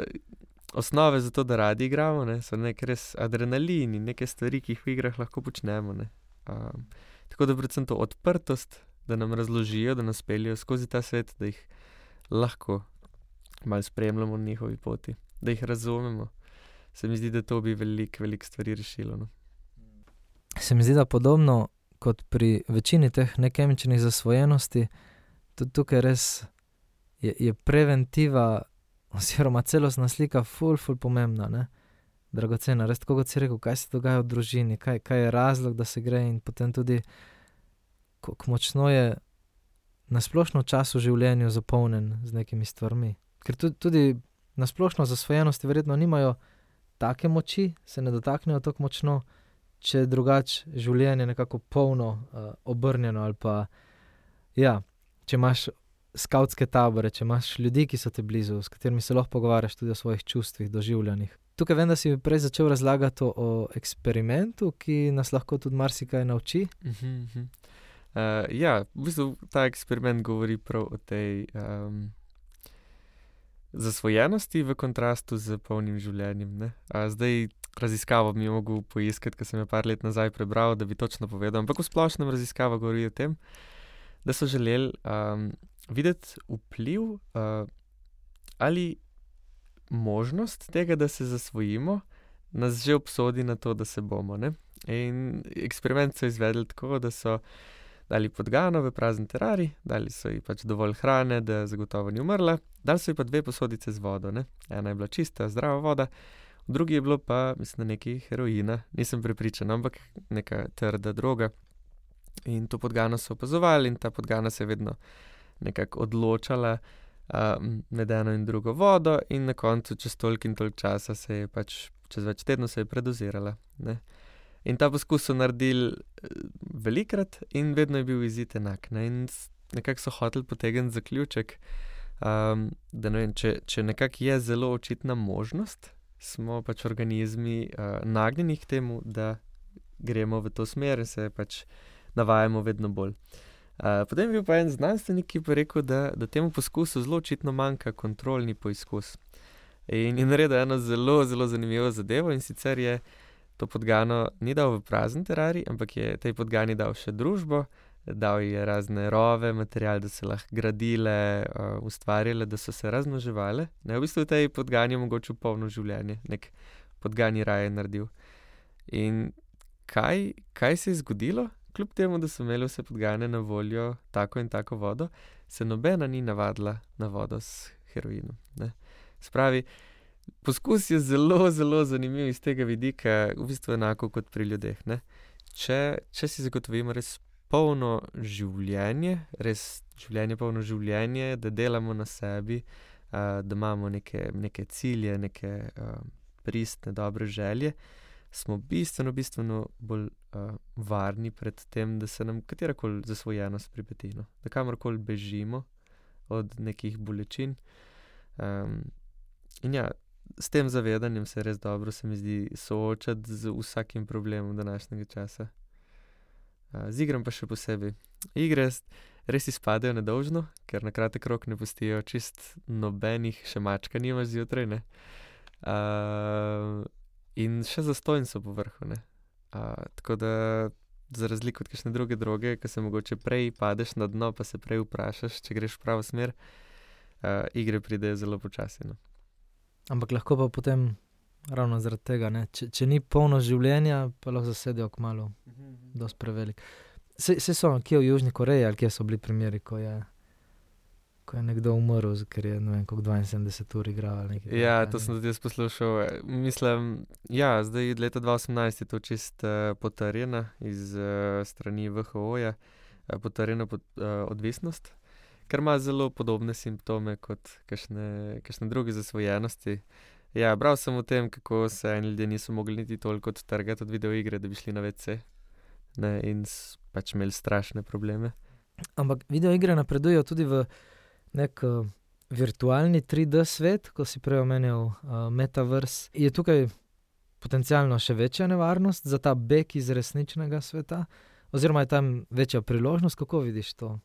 osnove za to, da radi igramo, ne, so nek res adrenalin in neke stvari, ki jih v igrah lahko počnemo, ne. Tako da predvsem to odprtost, da nam razložijo, da nas peljejo skozi ta svet, da jih lahko malo spremljamo na njihovi poti, da jih razumemo. Se mi zdi, da to bi veliko stvari rešilo, no. Se mi zdi, da podobno kot pri večini teh nekemičnih zasvojenosti, tudi tukaj res je preventiva oziroma celostna slika ful pomembna, ne. Dragocena, res tako kot si rekel, kaj se dogaja v družini, kaj je razlog, da se gre in potem tudi, kako močno je na splošno čas v življenju zapolnjen z nekimi stvarmi. Ker tudi na splošno zasvojenosti verjetno nimajo take moči, se ne dotaknejo tako močno, če drugače življenje nekako polno obrnjeno ali pa, ja, če imaš skavtske tabore, če imaš ljudi, ki so te blizu, s katerimi se lahko pogovarjaš tudi o svojih čustvih, doživljanjih. Tukaj vem, da si mi prej začel razlagati o eksperimentu, ki nas lahko tudi marsikaj nauči. Ja, v bistvu ta eksperiment govori prav o tej zasvojenosti v kontrastu z polnim življenjem, ne. Zdaj raziskavo bi mogel poiskati, ker sem jo par let nazaj prebral, da bi točno povedal, ampak v splošnem raziskava govori o tem, da so želeli videti vpliv ali možnost tega, da se zasvojimo, nas že obsodi na to, da se bomo, ne. In eksperiment so izvedli tako, da so dali podgano v prazen terarij, dali so ji pač dovolj hrane, da zagotovo ni umrla, dali so ji pa 2 posodice z vodo, ne. Ena je bila čista, zdrava voda, v drugi je bilo pa, mislim, nekaj heroina, nisem prepričan, ampak neka trda droga. In to podgano so opazovali in ta podgana se je vedno nekako odločala med eno in drugo vodo in na koncu čez toliko in toliko časa se je pač, čez več tednov se je predozirala, ne. In ta poskus so naredili velikrat in vedno je bil izid enak, ne. In nekako so hoteli potegniti zaključek, da ne vem, če nekako je zelo očitna možnost, smo pač organizmi nagnjeni k temu, da gremo v to smer in se pač navajamo vedno bolj. Potem je bil pa en znanstvenik, ki pa rekel, da temu poskusu zelo očitno manjka kontrolni poizkus. In je naredil eno zelo zanimivo zadevo, in sicer je to podgano ni dal v prazen terarij, ampak je tej podgani dal še družbo, dal ji je razne rove, material, da se lahko gradile, ustvarjale, da so se razmnoževale. Ne, v bistvu tej podgani je omogočil polno življenje, nek podgani raj je naredil. In kaj se je zgodilo? Kljub temu, da so imeli vse podgane na voljo tako in tako vodo, se nobena ni navadila na vodo s heroinom, ne. Spravi, poskus je zelo zanimiv iz tega vidika, v bistvu enako kot pri ljudeh, ne. Če si zagotovimo res polno življenje, polno življenje, da delamo na sebi, da imamo neke cilje, neke pristne, dobre želje, smo bistveno bolj varni pred tem, da se nam katerakoli zasvojenost pripeti, no. Da kamorkoli bežimo od nekih bolečin. In ja, s tem zavedanjem se res dobro, se mi zdi, soočati z vsakim problemom današnjega časa. Z igram pa še posebej. Igre res izpadejo nedolžno, ker na kratek rok ne pustijo čist nobenih, še mačka nimaš zjutraj, ne. In še zastonj so po vrhu, ne. Tako da za razliko od kakšne druge droge, ke se mogoče prej padeš na dno, pa se prej vprašaš, če greš v pravo smer, igre pridejo zelo počasi, no. Ampak lahko pa potem ravno zaradi tega, ne, če ni polno življenja, pa lahko zasedejo kmalu dosti prevelik. Saj so kje v Južni Koreji ali kje so bili primeri, ko je nekdo umrl, ker je, ne vem, koliko 72 ur igral ali nekaj. Ja, to sem tudi jaz poslušal. Mislim, ja, zdaj leta 2018 je to čist potrjena iz strani WHO-ja, potrjena odvisnost, ker ima zelo podobne simptome kot kakšne druge zasvojenosti. Ja, bral sem o tem, kako se eni ljudje niso mogli niti toliko odtrgati od videoigre, da bi šli na WC. Ne, in pač imeli strašne probleme. Ampak videoigre napredujejo tudi v nek virtualni 3D svet, ko si prej omenjal Metaverse. Je tukaj potencialno še večja nevarnost za ta beg iz resničnega sveta? Oziroma je tam večja priložnost? Kako vidiš to?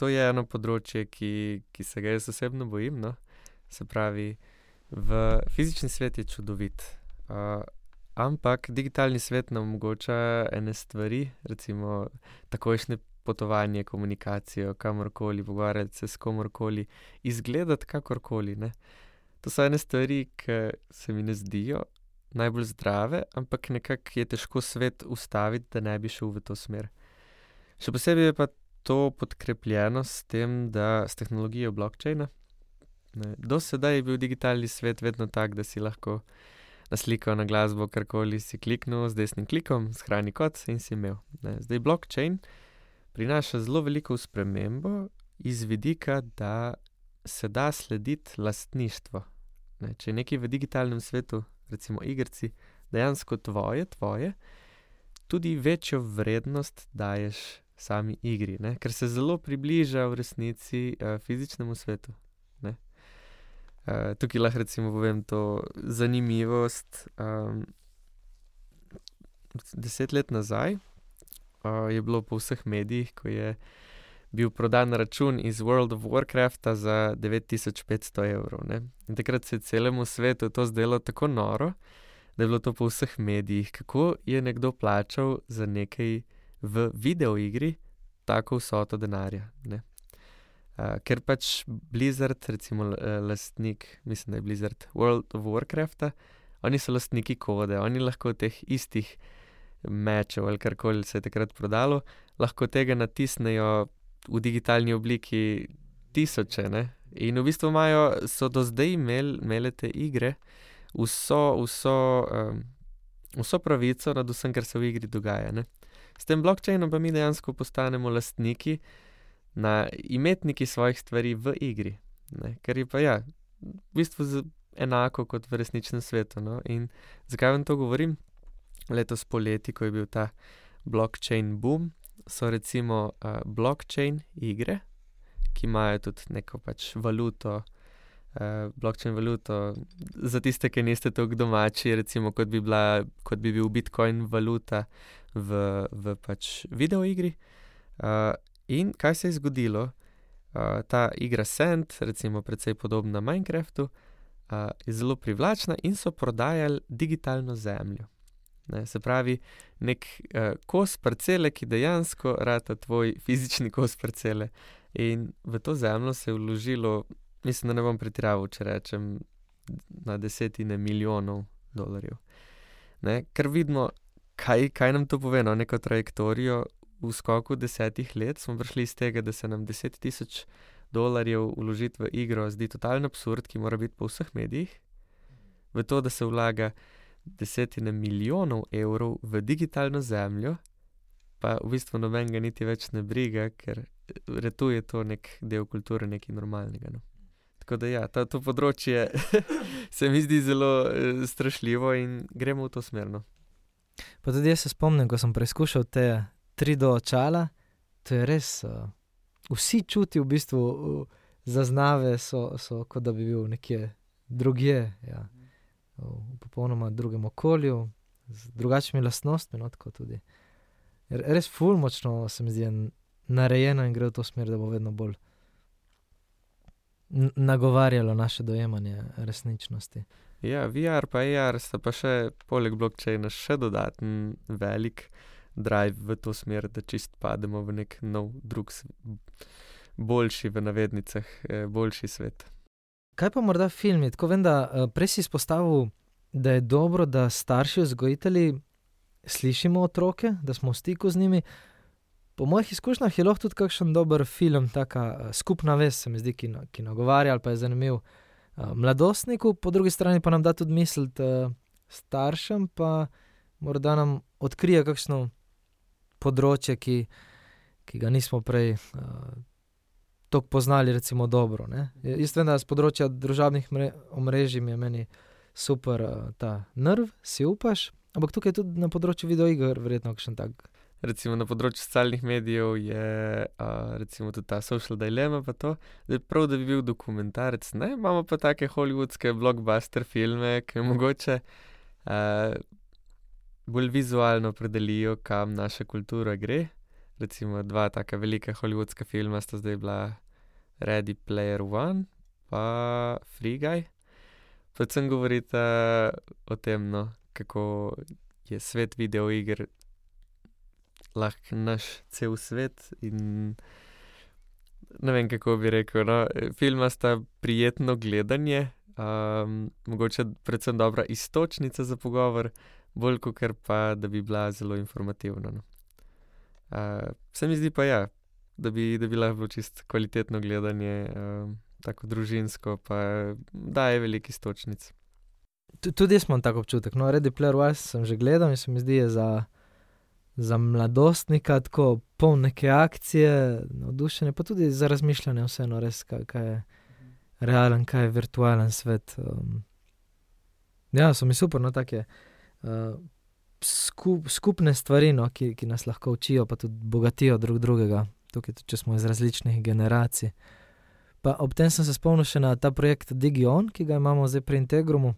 To je eno področje, ki se ga jaz osebno bojim, no. Se pravi, fizični svet je čudovit, ampak digitalni svet nam omogoča ene stvari, recimo takojšnje potovanje, komunikacijo, kamorkoli, pogovarjati se s komorkoli, izgledati kakorkoli, ne. To so ene stvari, ki se mi ne zdijo najbolj zdrave, ampak nekako je težko svet ustaviti, da ne bi šel v to smer. Še posebej je pa to podkrepljeno s tem, da s tehnologijo blockchaina. Do sedaj je bil digitalni svet vedno tak, da si lahko na sliko, na glasbo, karkoli si kliknil z desnim klikom, shrani kot in si imel. Zdaj blockchain prinaša zelo veliko spremembo iz vidika, da se da slediti lastništvo. Če je nekaj v digitalnem svetu, recimo igrci, dejansko tvoje, tudi večjo vrednost daješ sami igri, ne? Ker se zelo približa v resnici fizičnemu svetu. Tukaj lahko recimo povem to zanimivost. 10 let nazaj je bilo po vseh medijih, ko je bil prodan račun iz World of Warcrafta za 9500 evrov. Ne? In takrat se je celemu svetu to zdelo tako noro, da je bilo to po vseh medijih, kako je nekdo plačal za nekaj v videoigri tako vsoto denarja. Ne? Ker pač Blizzard, recimo lastnik, mislim, da je Blizzard World of Warcrafta, oni so lastniki kode, oni lahko teh istih mečev ali karkoli se je takrat prodalo, lahko tega natisnejo v digitalni obliki tisoče, ne? In v bistvu so do zdaj imele te igre vso pravico nad vsem, kar se v igri dogaja, ne? S tem blockchainom pa mi dejansko postanemo lastniki, imetniki svojih stvari v igri, ne? Ker je pa v bistvu enako kot v resničnem svetu, no? In zakaj vam to govorim? Letos poleti, ko je bil ta blockchain boom, so recimo blockchain igre, ki imajo tudi neko pač valuto, blockchain valuto, za tiste, ki niste toliko domači, recimo kot bi bil Bitcoin valuta v pač videoigri. In kaj se je zgodilo? Ta igra Sand, recimo precej podobna Minecraftu, je zelo privlačna in so prodajali digitalno zemljo. Ne, se pravi, nek kos parcele, ki dejansko rata tvoj fizični kos parcele. In v to zemljo se je vložilo, mislim, da ne bom pretiraval, če rečem, na desetine milijonov dolarjev. Ne, ker vidimo, kaj nam to pove, no, neko trajektorijo. V skoku 10 let smo prišli iz tega, da se nam 10 000 dolarjev vložiti v igro zdi totalen absurd, ki mora biti po vseh medijih, v to, da se vlaga desetine milijonov evrov v digitalno zemljo, pa v bistvu nobenega niti več ne briga, ker retuje to nek del kulture, nekaj normalnega. No. Tako da to področje se mi zdi zelo strašljivo in gremo v to smerno. Pa tudi jaz se spomnim, ko sem preizkušal te 3D očala, to je res, vsi čuti v bistvu zaznave so kot da bi bil nekje drugje, v popolnoma drugem okolju, z drugačnimi lastnostmi, no, tako tudi. Res ful močno se mi zdi narejeno in gre v to smer, da bo vedno bolj nagovarjalo naše dojemanje resničnosti. Ja, VR pa AR sta pa še poleg blockchaina še dodaten velik drive v to smer, da čist pademo v nek nov, drug, boljši v navednicah, boljši svet. Kaj pa morda filmi? Tako vem, da prej si izpostavil, da je dobro, da starši vzgojitelji slišimo otroke, da smo v stiku z njimi. Po mojih izkušnjah je lahko tudi kakšen dober film, taka skupna vez, se mi zdi, ki nagovarja ali pa je zanimiv mladostniku, po drugi strani pa nam da tudi misliti staršem, pa morda nam odkrije kakšno področje, ki ga nismo prej toliko poznali, recimo dobro. Ne? Jaz vem, da z področja družabnih omrežij mi je meni super ta nerv, si upaš, ampak tukaj tudi na področju videoiger verjetno kakšen tak. Recimo na področju socialnih medijev je recimo tudi ta Social Dilemma pa to, da prav, da bi bil dokumentarec, ne, imamo pa take hollywoodske blockbuster filme, ki mogoče bolj vizualno opredelijo, kam naša kultura gre. Recimo 2 taka velika hollywoodska filma sta zdaj bila Ready Player One pa Free Guy. Predvsem govorita o tem, no, kako je svet videoiger lahko naš cel svet in ne vem, kako bi rekel, no, filma sta prijetno gledanje, mogoče predvsem dobra iztočnica za pogovor, bolj kakor pa, da bi bila zelo informativna, no. Se mi zdi pa ja, da bi lahko bilo čisto kvalitetno gledanje, tako družinsko, pa daje veliko iztočnic. Tudi jaz imam tak občutek, no, Ready Player One sem že gledal in se mi zdi, je za mladostnika tako poln neke akcije, navdušenja, pa tudi za razmišljanje vseeno res, kaj je realen, kaj je virtualen svet. Ja, so mi super, no, take skupne stvari, no, ki nas lahko učijo, pa tudi bogatijo drug drugega, tukaj tudi, če smo iz različnih generacij. Pa ob tem sem se spomnil še na ta projekt DigiOn, ki ga imamo zdaj pri Integrumu,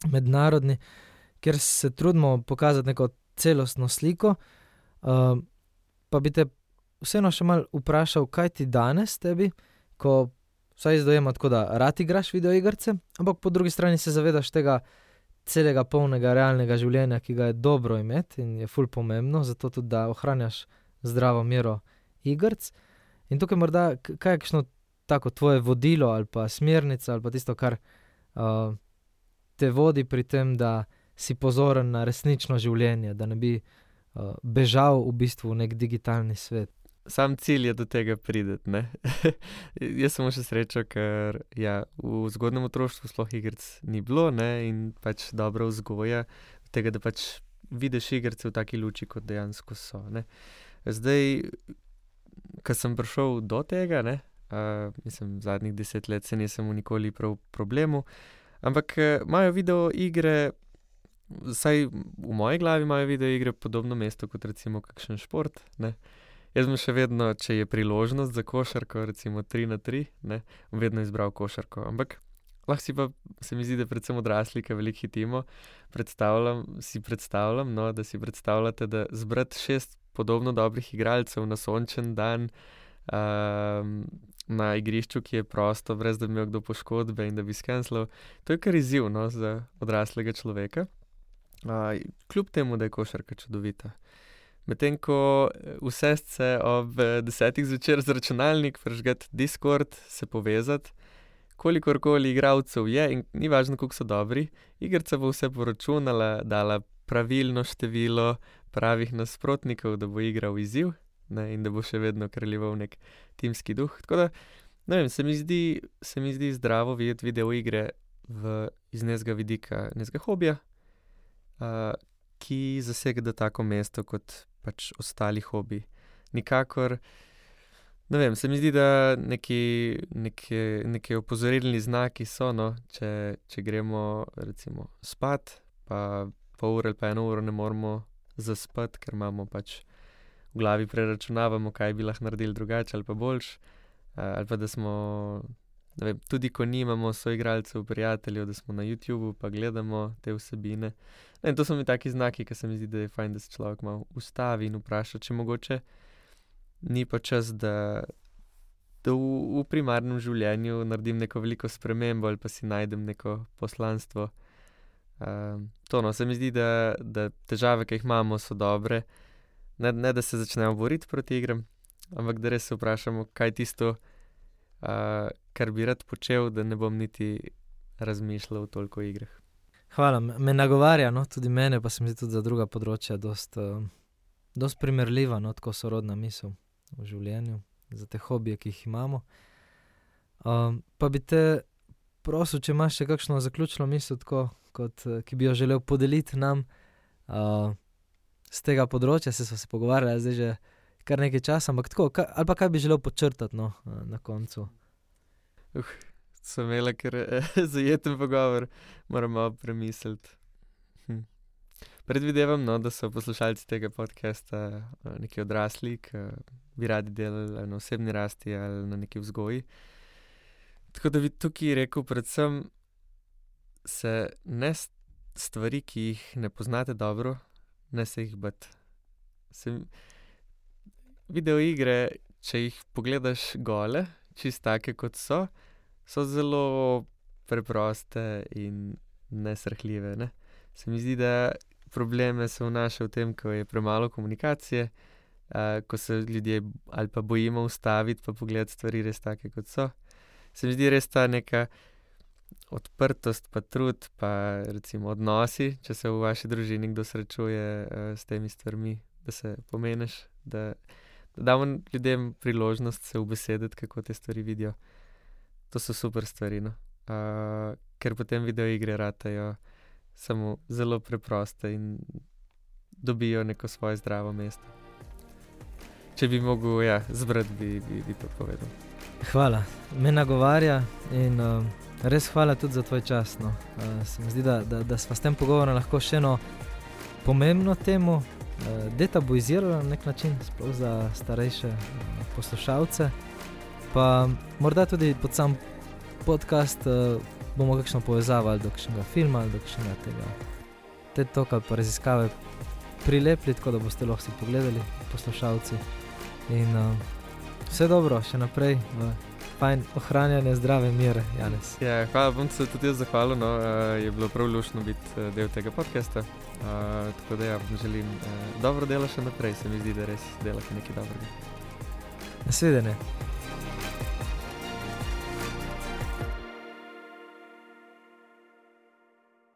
mednarodni, kjer se trudimo pokazati neko celostno sliko, pa bi te vseeno še malo vprašal, kaj ti danes tebi, ko vsaj izdojema tako, da rad igraš videoigrce, ampak po drugi strani se zavedaš tega celega polnega realnega življenja, ki ga je dobro imeti in je ful pomembno, zato tudi, da ohranjaš zdravo mero igrc. In tukaj morda, kaj je kakšno tako tvoje vodilo ali pa smernica ali pa tisto, kar te vodi pri tem, da si pozoren na resnično življenje, da ne bi bežal v bistvu v nek digitalni svet. Sam cilj je do tega prideti, ne. Jaz sem še srečo, ker ja, v zgodnjem otroštvu sploh igrc ni bilo, ne, in pač dobra vzgoja tega, da pač vidiš igrce v taki luči, kot dejansko so, ne. Zdaj, ko sem prišel do tega, ne, mislim, zadnjih 10 let se nisem nikoli prav problemu, ampak imajo videoigre, vsaj v moji glavi imajo videoigre podobno mesto kot recimo kakšen šport, ne. Jaz bom še vedno, če je priložnost za košarko, recimo 3x3, ne, bom vedno izbral košarko, ampak lahko si pa, se mi zdi, da predvsem odrasli, ki veliko hitimo, predstavljam, no, da si predstavljate, da zbrati 6 podobno dobrih igralcev na sončen dan, na igrišču, ki je prosto, brez da bi imel kdo poškodbe in da bi skenslal, to je kar izziv, no, za odraslega človeka. Kljub temu, da je košarka čudovita. Medtem ko usesti se ob 10 zvečer z računalnik, prižgati Discord, se povezati, kolikorkoli igralcev je in ni važno, koliko so dobri, igrica bo vse poračunala, dala pravilno število pravih nasprotnikov, da bo igral izziv, ne, in da bo še vedno kraljeval nek timski duh. Tako da, ne vem, se mi zdi zdravo videti videoigre iz nekega vidika, nekega hobija, ki zasega tako mesto kot pač ostali hobiji. Nikakor, ne vem, se mi zdi, da neki opozorilni znaki so, no, če gremo recimo spat, pa pol ure ali pa 1 uro ne moremo zaspati, ker imamo pač v glavi preračunavamo, kaj bi lahko naredili drugače ali pa boljše, ali pa da smo, ne vem, tudi ko nimamo soigralcev, prijateljev, da smo na YouTubu pa gledamo te vsebine. In to so mi taki znaki, ki se mi zdi, da je fajn, da se človek malo ustavi in vpraša, če mogoče ni pa čas, da v primarnem življenju naredim neko veliko spremembo ali pa si najdem neko poslanstvo. To, no, se mi zdi, da težave, ki jih imamo, so dobre. Ne, da se začnemo boriti proti igram, ampak da res se vprašamo, kaj je tisto, kar bi rad počel, da ne bom niti razmišljal toliko o igrah. Hvala, me nagovarja, no, tudi mene, pa se mi zdi tudi za druga področja dost primerljiva, no, tako sorodna misel v življenju, za te hobije, ki jih imamo. Pa bi te prosil, če imaš še kakšno zaključno misel, tako, ki bi jo želel podeliti nam z tega področja, se smo se pogovarjali zdaj že kar nekaj časa, ampak tako, ali pa kaj bi želel podčrtati, no, na koncu? so imela kar zajeten pogovor, moramo premisliti. Predvidevam, no, da so poslušalci tega podcasta neki odrasli, ki bi radi delali na osebni rasti ali na neki vzgoji. Tako da bi tukaj rekel predvsem se ne stvari, ki jih ne poznate dobro, ne se jih bati. Videoigre, če jih pogledaš gole, čist take kot so zelo preproste in nesrhljive, ne. Se mi zdi, da probleme se vnaša v tem, ko je premalo komunikacije, ko se ljudje ali pa bojimo ustaviti pa pogledati stvari res take, kot so. Se mi zdi res ta neka odprtost pa trud pa recimo odnosi, če se v vaši družini kdo srečuje s temi stvarmi, da se pomeneš, da damo ljudem priložnost se ubesediti, kako te stvari vidijo. To so super stvari, no. Ker potem videoigre ratajo samo zelo preproste in dobijo neko svoje zdravo mesto. Če bi mogel, zbrati, bi to povedal. Hvala, me nagovarja in res hvala tudi za tvoj čas. No. Se mi zdi, da sva s tem pogovorom lahko še eno pomembno temo detabuizirala na nek način, sploh za starejše poslušalce. Pa morda tudi pod sam podcast bomo kakšno povezavo ali do kakšnega filma ali do kakšnega tega TED Talka pa raziskave prilepili, tako da boste lahko si pogledali, poslušalci. In vse dobro, še naprej fajn ohranjanje zdrave mere, Janez. Ja, hvala, bom se tudi jaz zahvalil, no, je bilo prav luštno biti del tega podcasta, tako da vam želim dobro delo še naprej, se mi zdi, da res delate nekaj dobrega. Nasvidenje.